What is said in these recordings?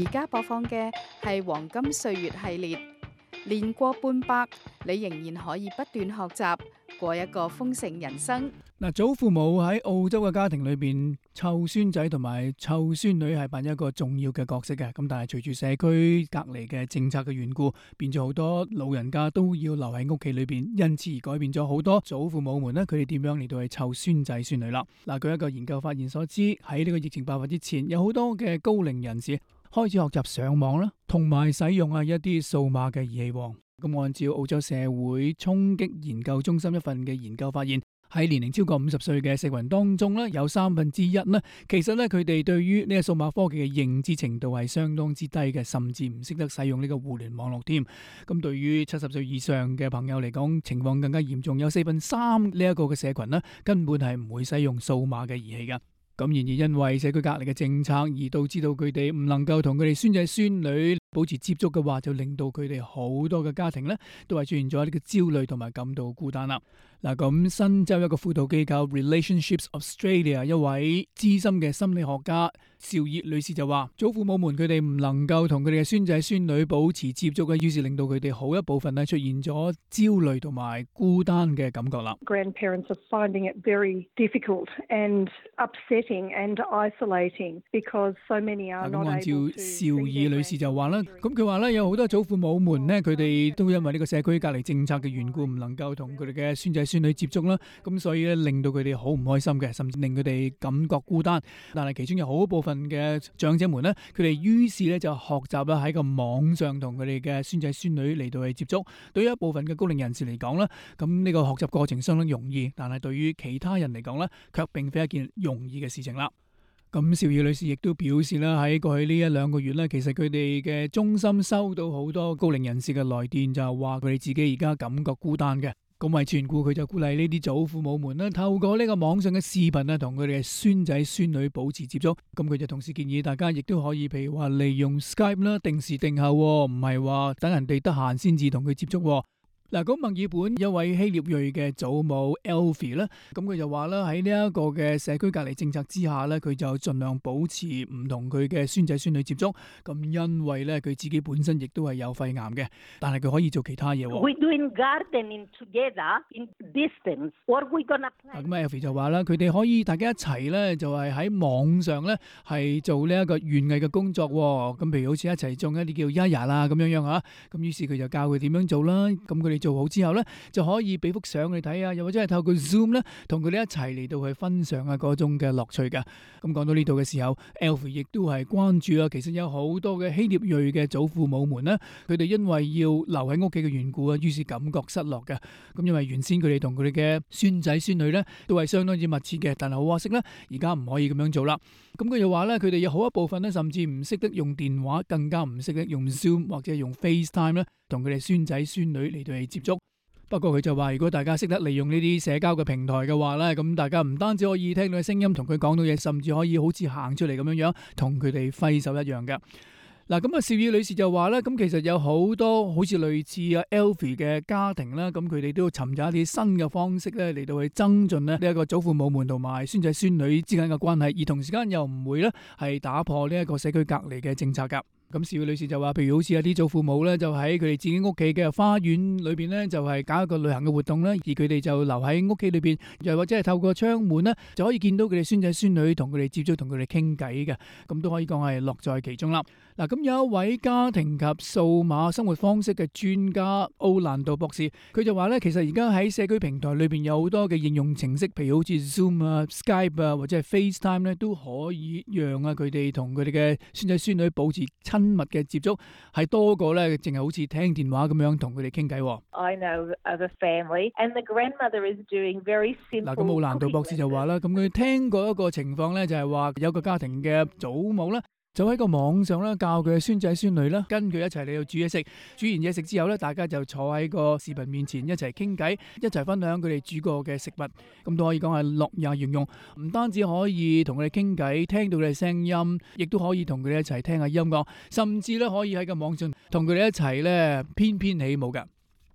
而家播放嘅係黃金歲月系列，年過半百，你仍然可以不斷學習，過一個豐盛人生。嗱，祖父母喺澳洲嘅家庭裏邊，湊孫仔同埋湊孫女係扮一個重要嘅角色嘅。咁但係隨住社區隔離嘅政策嘅緣故，變咗好多老人家都要留喺屋企裏邊，因此而改變咗好多祖父母們呢，佢哋點樣嚟到去湊孫仔孫女啦。嗱，據一個研究發現所知，喺呢個疫情爆發之前，有好多嘅高齡人士開始學習上網啦，同埋使用一啲數碼嘅儀器。咁按照澳洲社會衝擊研究中心一份嘅研究發現，喺年齡超過50歲嘅社群當中咧，有1/3咧，其實咧佢哋對於呢個數碼科技嘅認知程度係相當之低嘅，甚至唔識得使用呢個互聯網絡添。咁對於70歲以上嘅朋友嚟講，情況更加嚴重，有3/4呢一個嘅社群咧，根本係唔會使用數碼嘅儀器噶。咁然而因為社區隔離嘅政策而導致到佢哋唔能夠同佢哋孫仔孫女保持接觸嘅話，就令到佢哋好多嘅家庭咧都係出現咗呢個焦慮同埋感到孤單啦。嗱，咁新州一個輔導機構 Relationships Australia 一位資深嘅心理學家邵葉女士就話，祖父母們佢哋唔能夠同佢哋嘅孫仔孫女保持接觸嘅，於是令到佢哋好一部分咧出現咗焦慮同埋孤單嘅感覺啦。Grandparents are finding it very difficult and upsetting and isolating because so many are not able to。按照邵葉女士就話啦，咁佢話咧有好多祖父母們咧，佢哋都因為呢個社區隔離政策嘅緣故，唔能夠同佢哋嘅孫仔孫女接觸啦，咁所以咧令到佢哋好唔開心嘅，甚至令佢哋感覺孤單。但係其中有好部分嘅長者們咧，佢哋於是咧就學習啦喺個網上同佢哋嘅孫仔孫女嚟到去接觸。對於一部分嘅高齡人士嚟講咧，咁呢個學習過程相當容易，但係對於其他人嚟講咧，卻並非一件容易嘅事情啦。咁邵葉女士亦都表示啦，喺過去呢1-2個月咧，其實佢哋嘅中心收到好多高齡人士嘅來電，就係話佢哋自己而家感覺孤單嘅。咁為全顧，佢就鼓勵呢啲祖父母們咧，透過呢個網上嘅視頻啊，同佢哋嘅孫仔孫女保持接觸。咁佢就同時建議大家亦都可以，譬如話利用 Skype 啦，定時定候，唔係話等人哋得閒先至同佢接觸。嗱，咁墨爾本一位希臘裔嘅祖母 Elfie 咧，咁佢就話啦，喺呢一個嘅社區隔離政策之下咧，佢就盡量保持唔同佢嘅孫仔孫女接觸。咁因為咧，佢自己本身亦都係有肺癌嘅，但係佢可以做其他嘢。We're doing gardening together in distance. What are we gonna play？ 咁 Elfie 就話啦，佢哋可以大家一齊咧，就係喺網上咧係做呢一個園藝嘅工作。咁譬如好似一齊種一啲叫 Yaya 啦咁樣樣嚇。咁於是佢就教佢點樣做啦。咁佢哋做好之後咧，就可以俾幅相你睇啊，又或者係透過 Zoom 咧，同佢哋一齊嚟到去分享啊嗰種嘅樂趣噶。咁講到呢度嘅時候 Elfie 亦都係關注啊，其實有好多嘅希臘裔嘅祖父母們咧，佢哋因為要留喺屋企嘅緣故啊，於是感覺失落嘅。咁因為原先佢哋同佢哋嘅孫仔孫女咧都係相當之密切嘅，但係好可惜咧，而家唔可以咁樣做啦。咁佢就話咧，佢哋有好一部分咧，甚至唔識得用電話，更加唔識得用 Zoom 或者用 FaceTime 咧，同佢哋孫仔孫女嚟到去接觸。不過佢就話，如果大家識得利用呢啲社交嘅平台嘅話咧，咁大家唔單止可以聽到嘅聲音，同佢講到嘢，甚至可以好似行出嚟咁樣樣，同佢哋揮手一樣嘅。嗱，咁啊，邵葉女士就話咧，咁其實有好多好似類似啊 Elfie 嘅家庭啦，咁佢哋都要尋找一啲新嘅方式咧，嚟到去增進咧呢一個祖父母們同埋孫仔孫女之間嘅關係，而同時間又唔會咧係打破呢一個社區隔離嘅政策噶。咁邵葉女士就話，譬如好似有啲祖父母咧，就喺佢哋自己屋企嘅花園裏邊咧，就係搞一個旅行嘅活動咧，而佢哋就留喺屋企裏邊，又或者係透過窗門咧，就可以見到佢哋孫仔孫女同佢哋接觸，同佢哋傾偈嘅，咁都可以講係樂在其中啦。嗱，咁有一位家庭及數碼生活方式嘅專家奧蘭道博士，佢就話咧，其實而家喺社區平台裏邊有好多嘅應用程式，譬如好似 Zoom 啊、Skype 啊，或者係 FaceTime 咧，都可以讓啊佢哋同佢哋嘅孫仔孫女保持親密嘅接觸，係多過咧淨係好似聽電話咁樣同佢哋傾偈。I know of a family and the grandmother is doing very simple。嗱，咁奧蘭道博士就話啦，咁佢聽過一個情況咧，就係話有個家庭嘅祖母咧，就喺個網上咧教佢嘅孫仔孫女啦，跟佢一齊嚟到煮嘢食。煮完嘢食之後咧，大家就坐喺個視頻面前一齊傾偈，一齊分享佢哋煮過嘅食物。咁都可以講係樂也融融，唔單止可以同佢哋傾偈，聽到佢哋聲音，亦都可以同佢哋一齊聽下音樂，甚至咧可以喺個網上同佢哋一齊咧翩翩起舞噶。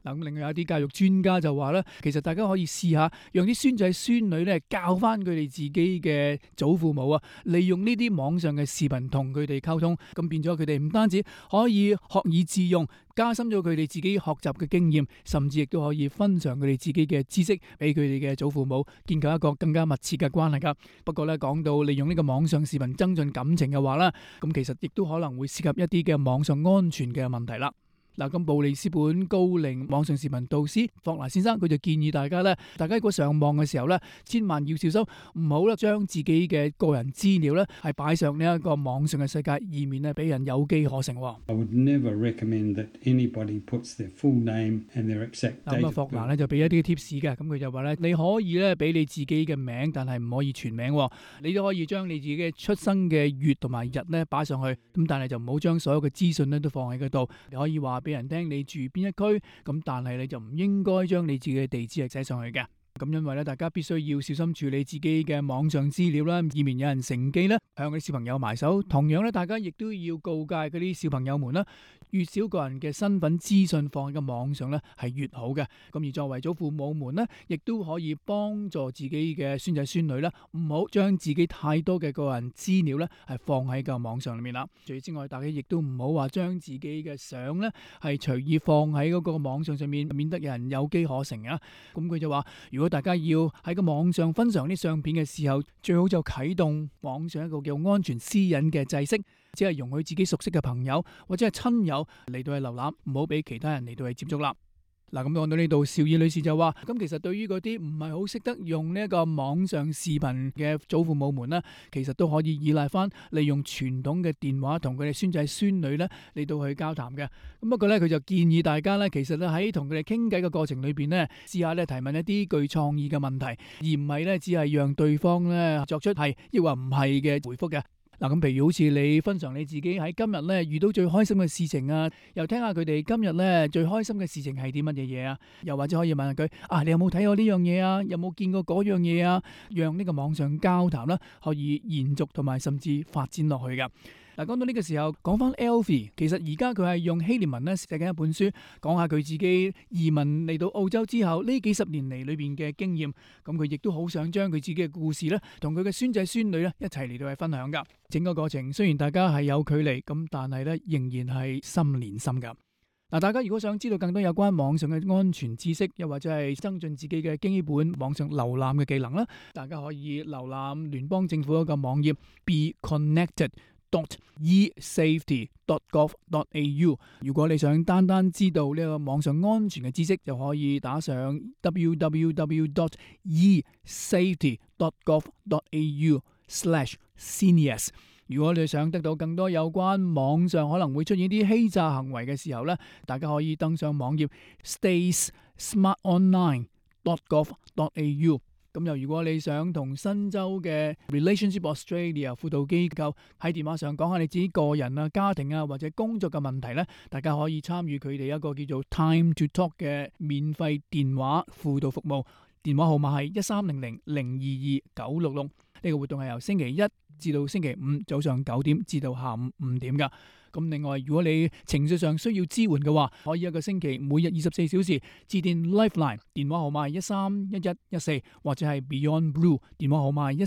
嗱，咁另外有啲教育專家就話咧，其實大家可以試下，讓啲孫仔孫女咧教翻佢哋自己嘅祖父母啊，利用呢啲網上嘅視頻同佢哋溝通，咁變咗佢哋唔單止可以學以致用，加深咗佢哋自己學習嘅經驗，甚至亦都可以分享佢哋自己嘅知識俾佢哋嘅祖父母，建構一個更加密切嘅關係噶。不過咧，講到利用呢個網上視頻增進感情嘅話啦，咁其實亦都可能會涉及一啲嘅網上安全嘅問題啦。嗱，咁布里斯本高齡網上視頻導師霍拿先生佢就建議大家咧，大家如果上網嘅時候咧，千萬要小心，唔好咧將自己嘅個人資料咧係擺上呢一個網上嘅世界，以免咧俾人有機可乘。I would never recommend that anybody puts their full name and their exact date. 咁霍拿咧就俾一啲 tips 嘅，咁佢就話咧，你可以咧俾你自己嘅名，但係唔可以全名，你都可以將你自己嘅出生嘅月同埋日咧擺上去，咁但係就唔好將所有嘅資訊咧都放喺嗰度。你可以話俾人聽你住邊一區，咁但係你就唔應該將你自己嘅地址係寫上去嘅。咁因為咧，大家必須要小心處理自己嘅網上資料啦，以免有人乘機咧向嗰啲小朋友埋手。同樣咧，大家亦都要告誡嗰啲小朋友們啦，越少個人嘅身份資訊放喺個網上咧係越好嘅。咁而作為祖父母們咧，亦都可以幫助自己嘅孫仔孫女啦，唔好將自己太多嘅個人資料咧係放喺個網上裏面啦。除此之外，大家亦都唔好話將自己嘅相咧係隨意放喺嗰個網上面，免得有人有機可乘啊。咁佢就話，如果大家要喺個網上分享啲相片嘅時候，最好就啟動網上一個叫安全私隱嘅制式，只係容許自己熟悉嘅朋友或者係親友嚟到去瀏覽，唔好俾其他人嚟到去接觸啦。嗱，咁講到呢度，邵爾女士就話，咁其實對於嗰啲唔係好識得用呢一個網上視頻嘅祖父母們呢，其實都可以依賴翻利用傳統嘅電話同佢哋孫仔孫女呢嚟到去交談嘅。咁不過呢，佢就建議大家呢，其實咧喺同佢哋傾偈嘅過程裏邊呢，試下咧提問一啲具創意嘅問題，而唔係呢只係讓對方呢作出係抑或唔係嘅回覆嘅。嗱，咁譬如好似你分享你自己喺今日咧遇到最開心嘅事情啊，又聽下佢哋今日咧最開心嘅事情係啲乜嘢嘢啊，又或者可以問下佢你有冇睇過呢樣嘢啊，有冇見過嗰樣嘢啊，讓呢個網上交談啦可以延續同埋甚至發展落去噶。嗱，講到呢個時候，講翻 Alfie， 其實而家佢係用希臘文咧寫緊一本書，講下佢自己移民嚟到澳洲之後呢幾十年嚟裏邊嘅經驗。咁佢亦都好想將佢自己嘅故事咧，同佢嘅孫仔孫女咧一齊嚟到去分享噶。整個過程雖然大家係有距離，咁但係咧仍然係心連心噶。嗱，大家如果想知道更多有關網上嘅安全知識，又或者係增進自己嘅基本網上瀏覽嘅技能啦，大家可以瀏覽聯邦政府一個網頁 beconnected.esafety.gov.au。如果你想單單知道呢個網上安全嘅知識，就可以打上 www.esafety.gov.au/seniors。如果你想得到更多有關網上可能會出現啲欺詐行為嘅時候呢，大家可以登上網頁 staysmartonline.gov.au。咁又如果你想同新州嘅 Relationship Australia 輔導機構喺電話上講下你自己個人啊、家庭啊或者工作嘅問題呢，大家可以參與佢哋一個叫做 Time to Talk 嘅免費電話輔導服務，電話號碼係1300-022-966。呢個活動係由星期一至到星期五早上9點至到下午5點噶。咁另外，如果你情緒上需要支援嘅話，可以一個星期每日24小時致電 Lifeline， 電話號碼係131114，或者係 Beyond Blue， 電話號碼係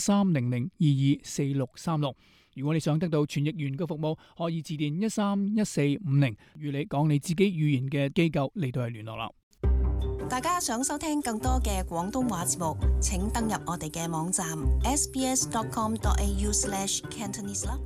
1300224636。如果你想得到傳譯員嘅服務，可以致電131450，與你講你自己語言嘅機構嚟到係聯絡啦。大家想收聽更多嘅廣東話節目，請登入我哋嘅網站 sbs.com.au/Cantonese 啦。